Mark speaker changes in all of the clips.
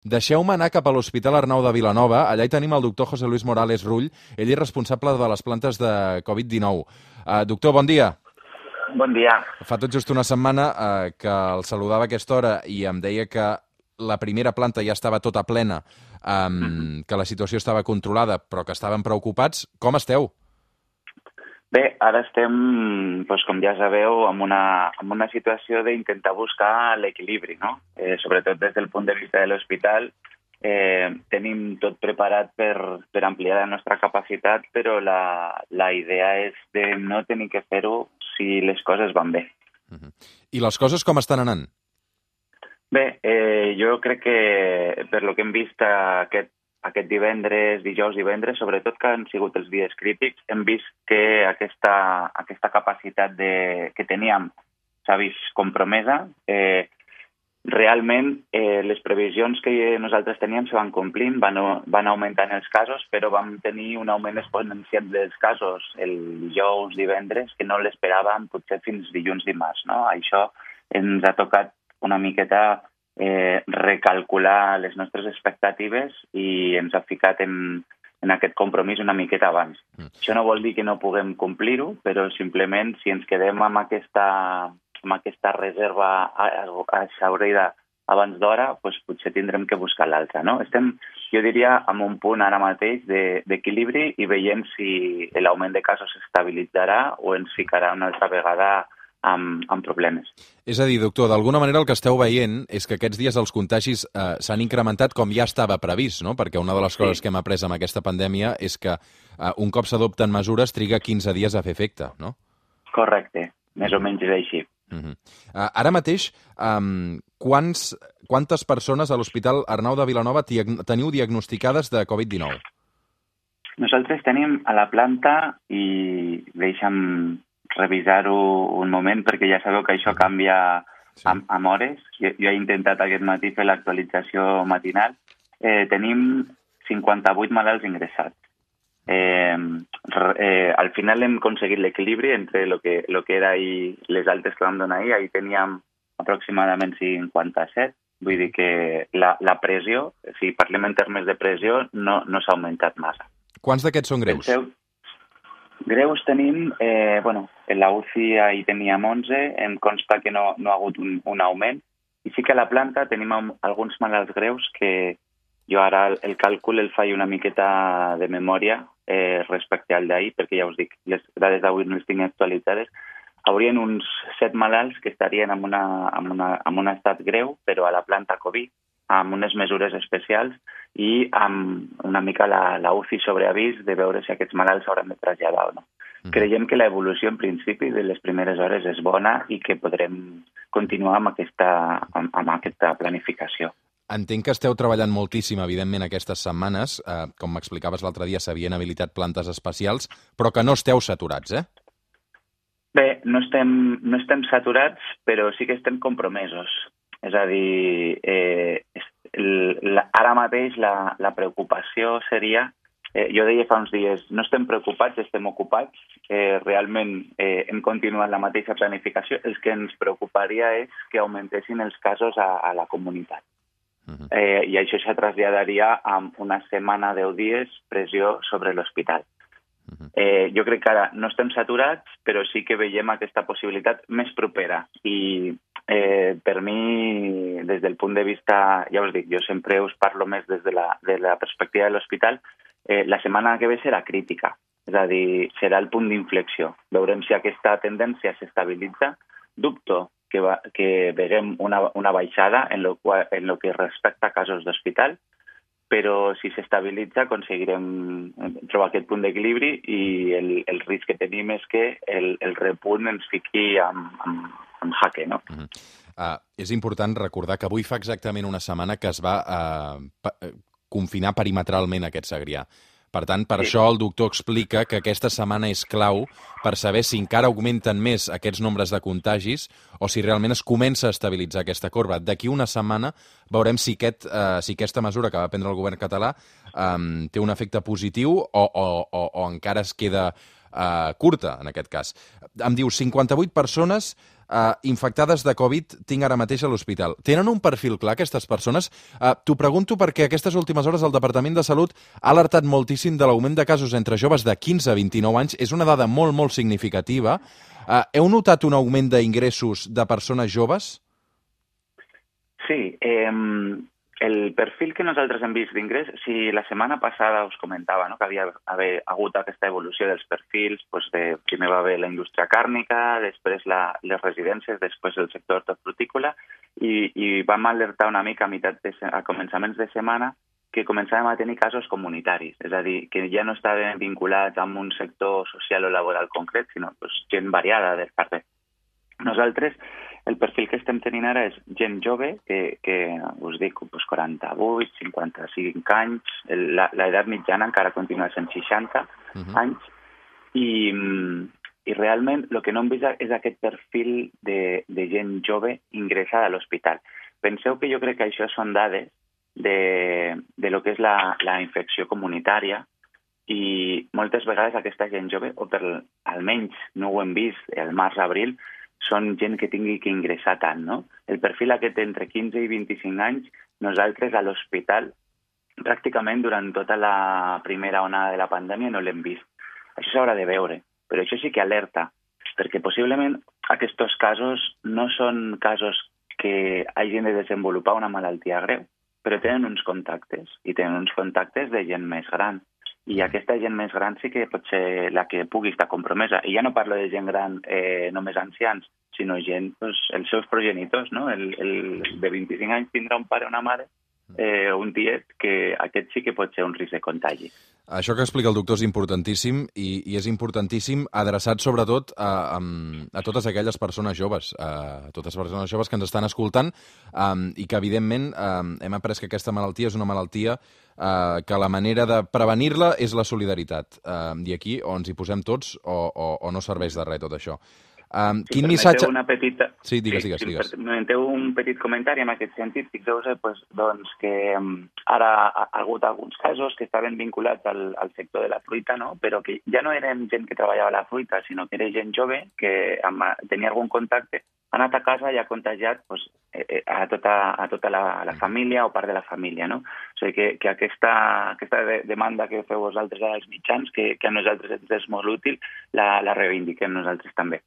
Speaker 1: Deixeu-me anar cap a l'Hospital Arnau de Vilanova. Allà hi tenim el doctor José Luis Morales Rull. Ell és responsable de les plantes de Covid-19. Doctor, bon dia.
Speaker 2: Bon dia.
Speaker 1: Fa tot just una setmana que el saludava a aquesta hora i em deia que la primera planta ja estava tota plena, que la situació estava controlada, però que estaven preocupats. Com esteu?
Speaker 2: Bé, ara estem, doncs, com ja sabeu, en una situació d'intentar buscar l'equilibri, no? Sobretot des del punt de vista de l'hospital. Tenim tot preparat per ampliar la nostra capacitat, però la idea és de no tenir que fer-ho si les coses van bé.
Speaker 1: I les coses com estan anant?
Speaker 2: Bé, jo crec que per lo que hem vist aquest divendres, dijous, divendres, sobretot que han sigut els dies crítics, hem vist que aquesta capacitat que teníem s'ha vist compromesa. Realment, les previsions que nosaltres teníem se van complint, van augmentant els casos, però vam tenir un augment exponencial dels casos el dijous, divendres, que no l'esperàvem potser fins dilluns, dimarts, no? Això ens ha tocat una miqueta recalcular les nostres expectatives i ens ha ficat en aquest compromís una miqueta abans. Això no vol dir que no puguem complir-ho, però simplement si ens quedem amb aquesta reserva exhaurida abans d'hora, doncs potser tindrem que buscar l'altra, no? Estem, jo diria, en un punt ara mateix d'equilibri i veiem si l'augment de casos s'estabilitzarà o ens ficarà una altra vegada amb problemes.
Speaker 1: És a dir, doctor, d'alguna manera el que esteu veient és que aquests dies els contagis s'han incrementat com ja estava previst, no? Perquè una de les coses que hem après amb aquesta pandèmia és que un cop s'adopten mesures triga 15 dies a fer efecte, no?
Speaker 2: Correcte, més o menys és així.
Speaker 1: Ara mateix, quantes persones a l'Hospital Arnau de Vilanova teniu diagnosticades de Covid-19?
Speaker 2: Nosaltres tenim a la planta, i deixa'm revisar-ho un moment, perquè ja sabeu que això canvia amb hores. Jo he intentat aquest matí fer l'actualització matinal. Tenim 58 malalts ingressats. Al final hem aconseguit l'equilibri entre lo que era ahir, les altes que vam donar ahir. Ahir teníem aproximadament 57. Vull dir que la pressió, si parlem en termes de pressió, no s'ha augmentat massa.
Speaker 1: Quants d'aquests són greus?
Speaker 2: Greus tenim, en la UCI ahir teníem 11, em consta que no ha hagut un augment, i sí que a la planta tenim alguns malalts greus que jo ara el càlcul el faig una miqueta de memòria respecte al d'ahir, perquè ja us dic, les dades d'avui no les tinc actualitzades. Haurien uns 7 malalts que estarien en un estat greu, però a la planta Covid, amb unes mesures especials i amb una mica la UCI sobre avís de veure si aquests malalts s'hauran de traslladar o no. Creiem que l'evolució en principi de les primeres hores és bona i que podrem continuar amb aquesta planificació.
Speaker 1: Entenc que esteu treballant moltíssim, evidentment, aquestes setmanes. Com m'explicaves l'altre dia, s'havien habilitat plantes especials, però que no esteu saturats, eh?
Speaker 2: Bé, no estem saturats, però sí que estem compromesos. És a dir, ara mateix la preocupació seria, jo deia fa uns dies, no estem preocupats, estem ocupats, realment hem continuat la mateixa planificació, el que ens preocuparia és que augmentessin els casos a la comunitat. I això se traslladaria a una setmana, 10 dies, pressió sobre l'hospital. Jo crec que ara no estem saturats, però sí que veiem aquesta possibilitat més propera. I per mi, des del punt de vista, ja us dic, jo sempre us parlo més des de la perspectiva de l'hospital, la setmana que ve serà crítica, és a dir, serà el punt d'inflexió. Veurem si aquesta tendència s'estabilitza. Dubto que veiem una baixada en lo que respecta a casos d'hospital, però si s'estabilitza aconseguirem trobar aquest punt d'equilibri i el risc que tenim és que el repunt ens fiqui en jaque, no?
Speaker 1: És important recordar que avui fa exactament una setmana que es va confinar perimetralment aquest Segrià. Per tant, per això el doctor explica que aquesta setmana és clau per saber si encara augmenten més aquests nombres de contagis o si realment es comença a estabilitzar aquesta corba. D'aquí una setmana veurem si aquesta mesura que va prendre el govern català té un efecte positiu o encara es queda curta, en aquest cas. Em diu 58 persones infectades de Covid tinc ara mateix a l'hospital. Tenen un perfil clar, aquestes persones? T'ho pregunto perquè aquestes últimes hores el Departament de Salut ha alertat moltíssim de l'augment de casos entre joves de 15 a 29 anys. És una dada molt, molt significativa. Heu notat un augment d'ingressos de persones joves?
Speaker 2: Sí, el perfil que nosaltres hem vist d'ingrés, si la setmana passada us comentava, no, que havia hagut aquesta evolució dels perfils, doncs primer va haver la indústria càrnica, després les residències, després el sector hortofrutícola, i vam alertar una mica a començaments de setmana que començàvem a tenir casos comunitaris, és a dir, que ja no estaven vinculats amb un sector social o laboral concret, sinó gent variada de part de... Nosaltres, el perfil que estem tenint ara és gent jove, que us dic, 48, 55 anys, l'edat mitjana encara continua sent 60 anys, i realment el que no hem vist és aquest perfil de gent jove ingressada a l'hospital. Penseu que jo crec que això són dades de lo que és la infecció comunitària, i moltes vegades aquesta gent jove, o almenys no ho hem vist al març-abril, són gent que tingui que ingressar tant, no? El perfil aquest entre 15 i 25 anys, nosaltres a l'hospital, pràcticament durant tota la primera onada de la pandèmia no l'hem vist. Això s'haurà de veure, però això sí que alerta, perquè possiblement aquests casos no són casos que hagin de desenvolupar una malaltia greu, però tenen uns contactes, i tenen uns contactes de gent més gran. I aquesta gent més gran sí que pot ser la que pugui estar compromesa. I ja no parlo de gent gran només ancians, sinó gent, els seus progenitors, no? El de 25 anys tindrà un pare o una mare, un tiet, que aquest sí que pot ser un risc de contagi.
Speaker 1: Això que explica el doctor és importantíssim, i és importantíssim adreçat sobretot a totes aquelles persones joves, que ens estan escoltant, i que evidentment hem après que aquesta malaltia és una malaltia que la manera de prevenir-la és la solidaritat. I aquí o ens hi posem tots o no serveix de res tot això. Quin missatge...
Speaker 2: Una petita...
Speaker 1: Sí, digues.
Speaker 2: Permeteu un petit comentari en aquest sentit. Fixeu-vos doncs, que ara ha hagut alguns casos que estaven vinculats al sector de la fruita, no? Però que ja no eren gent que treballava a la fruita, sinó que era gent jove que tenia algun contacte, ha anat a casa i ha contagiat a tota la família o part de la família, no? O sigui que aquesta demanda que feu vosaltres als mitjans, que a nosaltres ens és molt útil, la reivindiquem nosaltres també.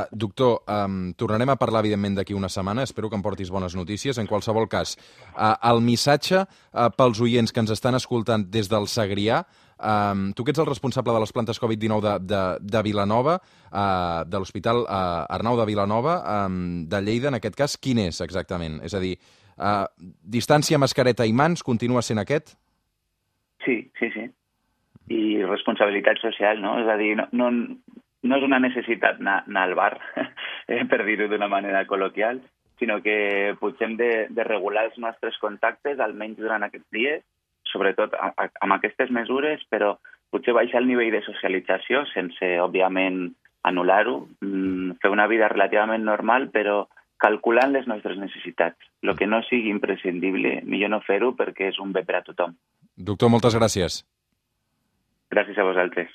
Speaker 1: Doctor, tornarem a parlar, evidentment, d'aquí una setmana. Espero que em portis bones notícies. En qualsevol cas, el missatge pels oients que ens estan escoltant des del Segrià, tu que ets el responsable de les plantes Covid-19 de Vilanova, de l'Hospital Arnau de Vilanova, de Lleida, en aquest cas, quin és exactament? És a dir, distància, mascareta i mans, continua sent aquest?
Speaker 2: Sí. I responsabilitat social, no? És a dir, no és una necessitat anar al bar, per dir-ho d'una manera col·loquial, sinó que potser hem de regular els nostres contactes, almenys durant aquests dies, sobretot amb aquestes mesures, però potser baixar el nivell de socialització sense, òbviament, anul·lar-ho, fer una vida relativament normal, però calculant les nostres necessitats. El que no sigui imprescindible, millor no fer-ho perquè és un bé per a tothom.
Speaker 1: Doctor, moltes gràcies.
Speaker 2: Gràcies a vosaltres.